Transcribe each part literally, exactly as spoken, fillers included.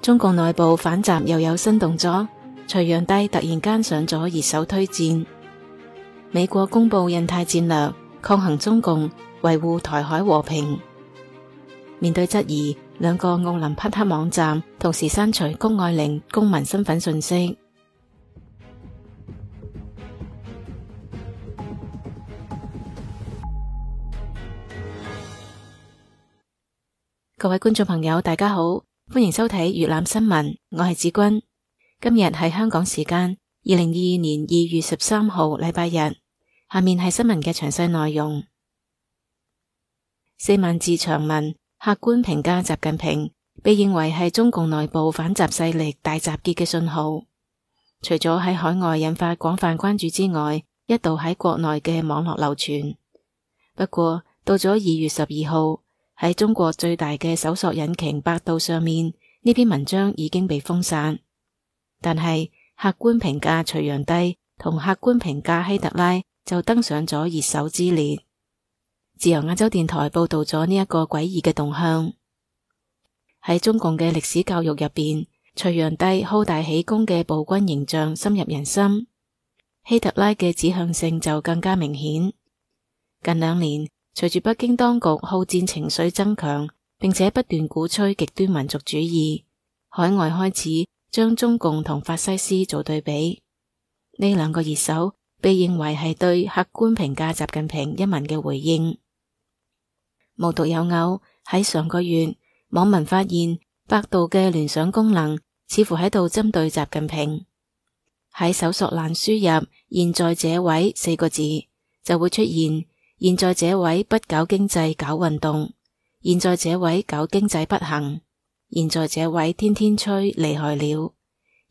中共內部反習又有新動作，隋煬帝突然間上咗熱搜推薦。美國公布印太戰略，抗衡中共，維護台海和平。面對質疑，兩個奧林匹克網站同時刪除谷愛凌公民身份信息。各位觀眾朋友，大家好，歡迎收睇粵覽新聞，我係子君。今日係香港時間二零二二年二月十三號禮拜日。下面係新聞嘅詳細內容。四萬字長文，客觀評價習近平，被認為係中共內部反習勢力大集結嘅信號。除咗喺海外引發廣泛關注之外，一度喺國內嘅網絡流傳。不過到咗二月十二號，喺中國最大嘅搜索引擎百度上面，呢篇文章已經被封殺。但係客觀評價隋煬帝同客觀評價希特拉就登上咗熱搜之列。自由亞洲電台報道咗呢一個詭異嘅動向。喺中共嘅歷史教育入邊，隋煬帝好大喜功嘅暴君形象深入人心，希特拉嘅指向性就更加明顯。近兩年，隨住北京當局好戰情緒增強，並且不斷鼓吹極端民族主義，海外開始將中共同法西斯做對比。呢兩個熱搜被認為係對客觀評價習近平一文嘅回應。無獨有偶，喺上個月，網民發現百度嘅聯想功能似乎喺度針對習近平。喺搜索欄輸入現在這位四個字，就會出現現在這位不搞經濟搞運動，現在這位搞經濟不行，現在這位天天吹厲害了，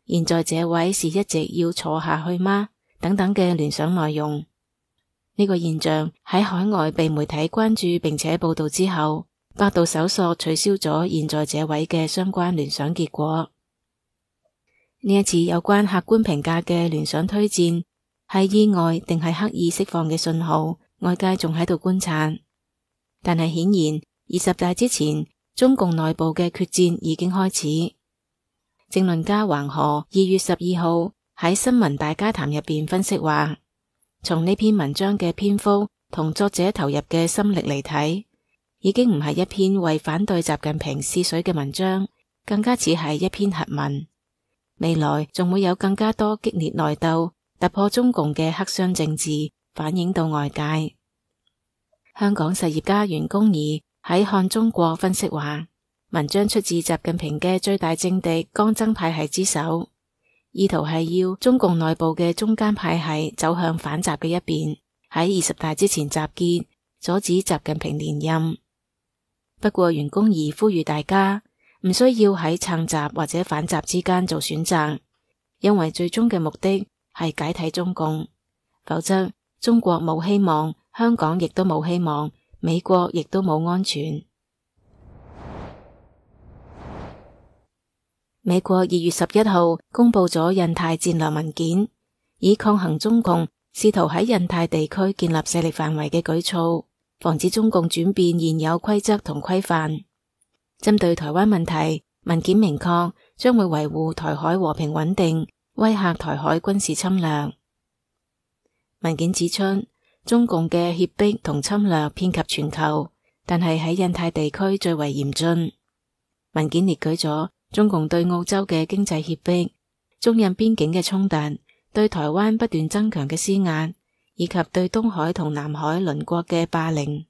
現在這位是一直要坐下去嗎？等等嘅聯想內容。呢個現象喺海外被媒體關注並且報道之後，百度搜索取消咗現在這位嘅相關聯想結果。呢一次有關客觀評價嘅聯想推薦，係意外定係刻意釋放嘅信號，外界仲喺度觀察。但係顯然二十大之前，中共內部嘅決戰已經開始。政論家橫河二月十二號喺新聞大家談入邊分析話，從呢篇文章嘅篇幅同作者投入嘅心力嚟睇，已經唔係一篇為反對習近平試水嘅文章，更加似係一篇核文。未來仲會有更加多激烈內鬥，突破中共嘅黑箱政治，反映到外界。香港實業家袁弓夷喺看中國分析話，文章出自習近平嘅最大政敵江增派系之手，意圖係要中共內部嘅中間派系走向反習嘅一邊，喺二十大之前集結，阻止習近平連任。不過袁弓夷呼籲大家唔需要喺撐習或者反習之間做選擇，因為最終嘅目的係解體中共，否則中國冇希望，香港亦都冇希望，美國亦都冇安全。美國二月十一號公布咗印太戰略文件，以抗衡中共試圖喺印太地區建立勢力範圍嘅舉措，防止中共轉變現有規則同規範。針對台灣問題，文件明確將會維護台海和平穩定，威嚇台海軍事侵略。文件指出，中共嘅脅迫同侵略遍及全球，但係喺印太地區最為嚴峻。文件列舉咗中共對澳洲嘅經濟脅迫、中印邊境嘅衝突、對台灣不斷增強嘅施壓，以及對東海同南海鄰國嘅霸凌。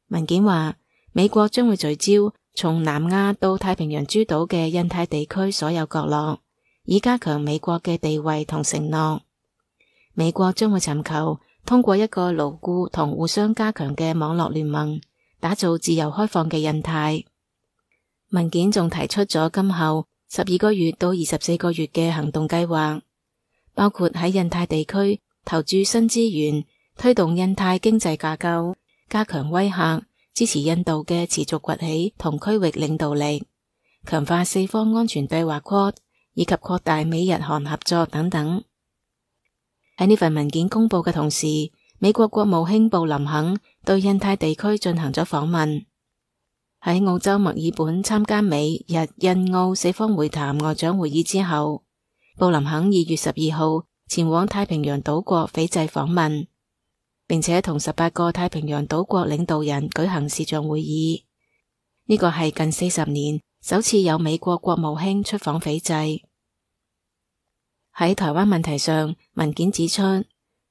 文件話，美國將會聚焦從南亞到太平洋諸島嘅印太地區所有角落，以加強美國嘅地位同承諾。美國將會尋求通過一個牢固同互相加強嘅網絡聯盟，打造自由開放嘅印太。文件仲提出咗今後十二個月到二十四個月嘅行動計劃，包括喺印太地區投注新資源，推動印太經濟架構，加強威嚇，支持印度嘅持續崛起同區域領導力，強化四方安全對話 Quad， 以及擴大美日韓合作等等。喺呢份文件公布嘅同時，美國國務卿布林肯對印太地區進行咗訪問。喺澳洲墨爾本參加美日印澳四方會談外長會議之後，布林肯二月十二號前往太平洋島國斐濟訪問，並且同十八個太平洋島國領導人舉行視像會議。呢個係近四十年首次有美國國務卿出訪斐濟。喺台灣問題上，文件指出，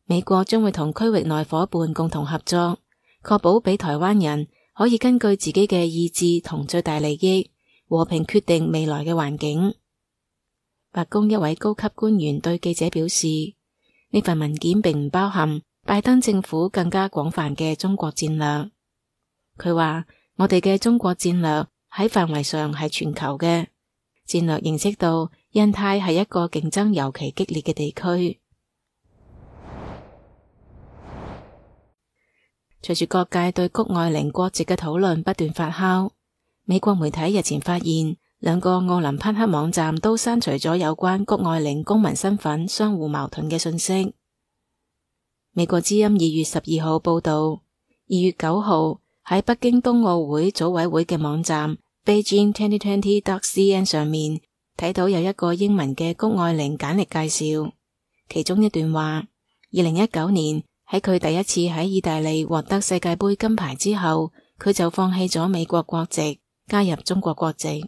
美國將會同區域內夥伴共同合作，確保俾台灣人可以根據自己嘅意志同最大利益和平決定未來嘅環境。白宮一位高級官員對記者表示，呢份文件並唔包含拜登政府更加廣泛嘅中國戰略。佢話，我哋嘅中國戰略喺範圍上係全球嘅，戰略認識到印太係一個競爭尤其激烈嘅地區。隨住各界對谷愛凌國籍嘅討論不斷發酵，美國媒體日前發現兩個奧林匹克網站都刪除咗有關谷愛凌公民身份相互矛盾嘅信息。美國之音二月十二號報道，二月九號喺北京冬奧會組委會嘅網站 Beijing twenty twenty dot c n 上面睇到有一個英文嘅谷愛凌簡歷介紹，其中一段話，二零一九年喺佢第一次喺意大利獲得世界盃金牌之後，佢就放棄咗美國國籍，加入中國國籍，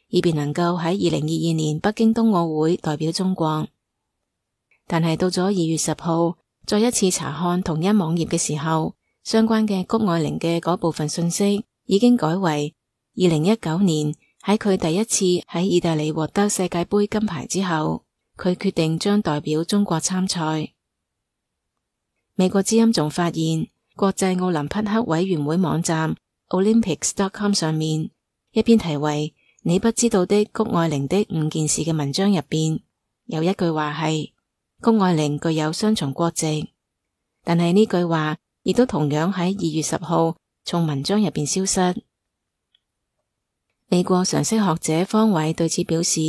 以便能夠喺二零二二年北京冬奧會代表中國。但係到咗二月十號，再一次查看同一網頁嘅時候，相關嘅谷愛凌嘅嗰部分信息已經改為二零一九年喺佢第一次喺意大利獲得世界盃金牌之後，佢決定將代表中國參賽。美國之音仲發現，國際奧林匹克委員會網站 Olympics dot com 上面一篇題為你不知道的谷愛凌的五件事嘅文章入邊，有一句話係谷愛凌具有雙重國籍，但係呢句話亦都同樣喺二月十號從文章入邊消失。美國常識學者方偉對此表示，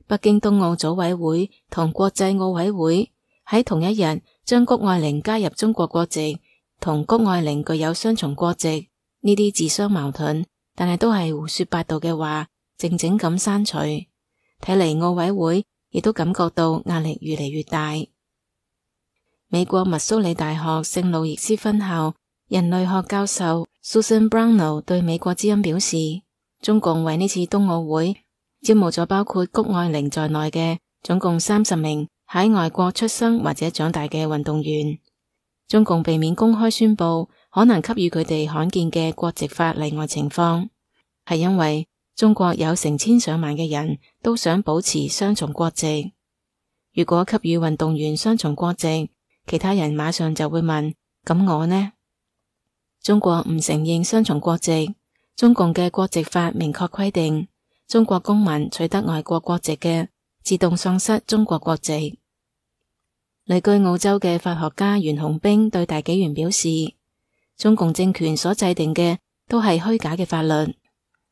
北京冬奧組委會同國際奧委會喺同一日將谷愛凌加入中國國籍同谷愛凌具有雙重國籍呢啲自相矛盾，但係都係胡說八道嘅話，靜靜咁刪除。睇嚟奧委會亦都感覺到壓力越嚟越大。美國密蘇里大學聖路易斯分校人類學教授 Susan Brownell 對美國之音表示，中共為呢次冬奧會招募咗包括谷愛凌在內嘅總共三十名喺外國出生或者長大嘅運動員。中共避免公開宣布可能給予佢哋罕見嘅國籍法例外情況，係因為中國有成千上萬嘅人都想保持雙重國籍。如果給予運動員雙重國籍，其他人馬上就會問，咁我呢？中國唔承認雙重國籍，中共嘅國籍法明確規定，中國公民取得外國國籍嘅，自動喪失中國國籍。旅居澳洲嘅法學家袁洪兵對大紀元表示，中共政權所制定嘅都係虛假嘅法律，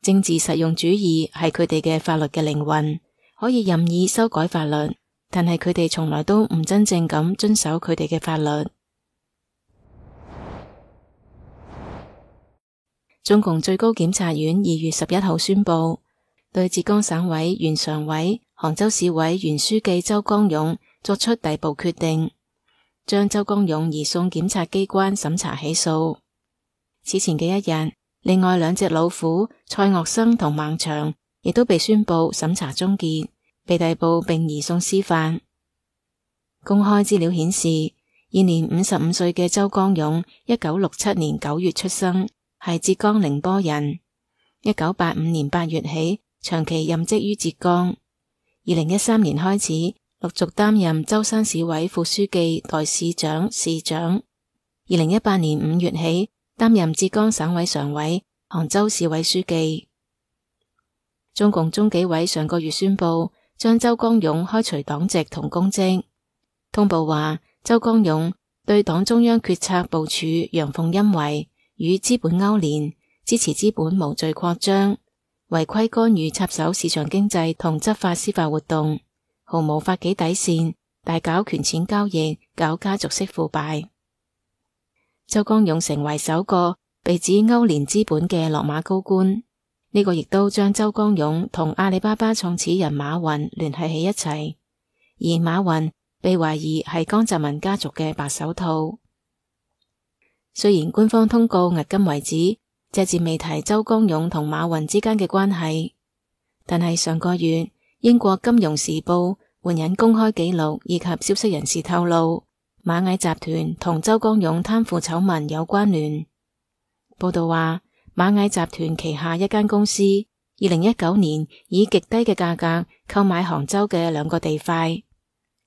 政治實用主義係佢哋嘅法律嘅靈魂，可以任意修改法律，但係佢哋從來都唔真正咁遵守佢哋嘅法律。中共最高檢察院二月十一號宣布，對浙江省委原常委、杭州市委原書記周江勇作出逮捕決定，將周江勇移送檢察機關審查起訴。此前嘅一日，另外兩隻老虎蔡岳生同孟祥亦都被宣布審查終結，被逮捕並移送司法。公開資料顯示，現年五十五歲嘅周江勇，一九六七年九月出生，係浙江寧波人。一九八五年八月起，長期任職於浙江。二零一三年開始，陸續擔任舟山市委副書記、代市長、市長。二零一八年五月起，擔任浙江省委常委、杭州市委書記。中共中紀委上個月宣布，將周江勇開除黨籍同公職。通報話，周江勇對黨中央決策部署陽奉陰違，與資本勾連，支持資本無序擴張，違規干預插手市場經濟同執法司法活動，毫無法紀底線，大搞權錢交易，搞家族式腐敗。周江勇成為首個被指勾連資本嘅落馬高官。呢個亦都將周光勇同阿里巴巴創始人馬雲聯繫起一齊，而馬雲被懷疑係江澤民家族嘅白手套。雖然官方通告迄今為止隻字未提周光勇同馬雲之間嘅關係，但係上個月英國金融時報援引公開記錄以及消息人士透露，螞蟻集團同周光勇貪腐醜聞有關聯。報道話，螞蟻集團旗下一間公司二零一九年以極低嘅價格購買杭州嘅兩個地塊，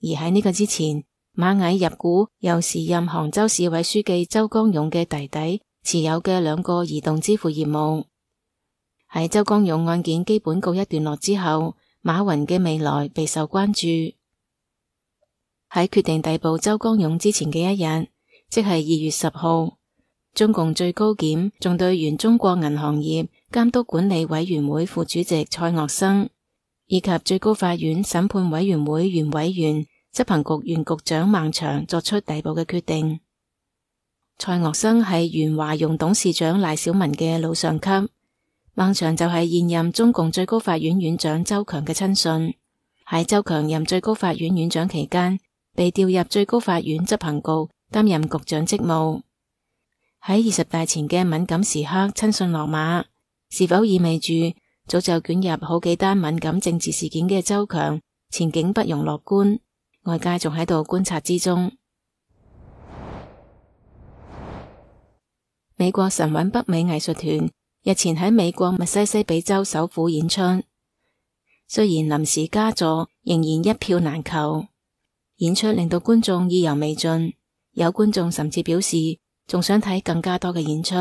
而喺呢個之前，螞蟻入股由時任杭州市委書記周光勇嘅弟弟持有嘅兩個移動支付業務。喺周光勇案件基本告一段落之後，馬雲嘅未來備受關注。喺決定逮捕周光勇之前嘅一日，即係二月十號，中共最高檢仲對原中國銀行業監督管理委員會副主席蔡岳生以及最高法院審判委員會原委員、執行局原局長孟祥作出逮捕嘅決定。蔡岳生係原華融董事長賴小民嘅老上級，孟祥就係現任中共最高法院院長周強嘅親信。喺周強任最高法院院長期間，被調入最高法院執行局擔任局長職務。喺二十大前嘅敏感時刻親信落馬，是否意味住早就捲入好幾單敏感政治事件嘅周強前景不容樂觀？外界仲喺度觀察之中。美國神韻北美藝術團日前喺美國密西西比州首府演出，雖然臨時加座仍然一票難求，演出令到觀眾意猶未盡，有觀眾甚至表示仲想睇更加多嘅演出。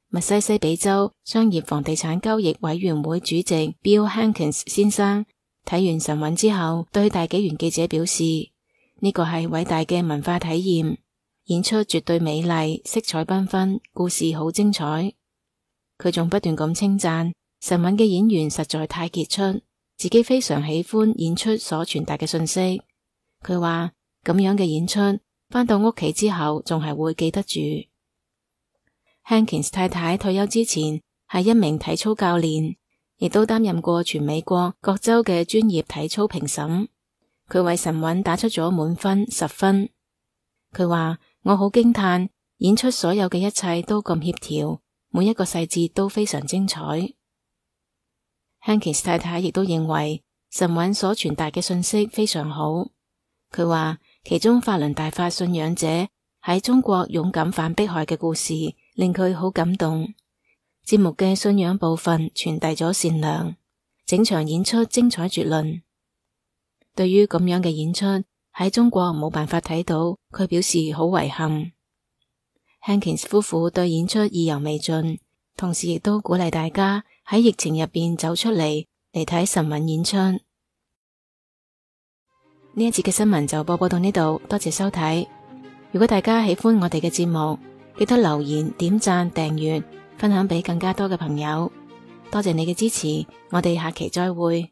密西西比州商業房地產交易委員會主席 Bill Hankins 先生睇完神韻之後，對大紀元記者表示，呢個係偉大嘅文化體驗，演出絕對美麗，色彩繽紛，故事好精彩。佢仲不斷咁稱讚神韻嘅演員實在太傑出，自己非常喜歡演出所傳達嘅信息。佢話咁樣嘅演出返到屋企之後仲係會記得住。Hankins 太太退休之前係一名體操教練，亦都擔任過全美國各州嘅專業體操評審。佢為神韻打出咗滿分十分。佢話，我好驚嘆演出所有嘅一切都咁協調，每一個細節都非常精彩。Hankins 太太亦都認為神韻所傳達嘅信息非常好。佢話其中法輪大法信仰者喺中國勇敢反迫害嘅故事令佢好感動。節目嘅信仰部分傳遞咗善良，整場演出精彩絕倫。對於咁樣嘅演出喺中國冇辦法睇到，佢表示好遺憾。Hankins 夫婦對演出意猶未盡，同時亦都鼓勵大家喺疫情入邊走出嚟嚟睇神韻演出。呢一節嘅新聞就播報到呢度，多謝收睇。如果大家喜歡我哋嘅節目，記得留言、點讚、訂閱、分享俾更加多嘅朋友。多謝你嘅支持，我哋下期再會。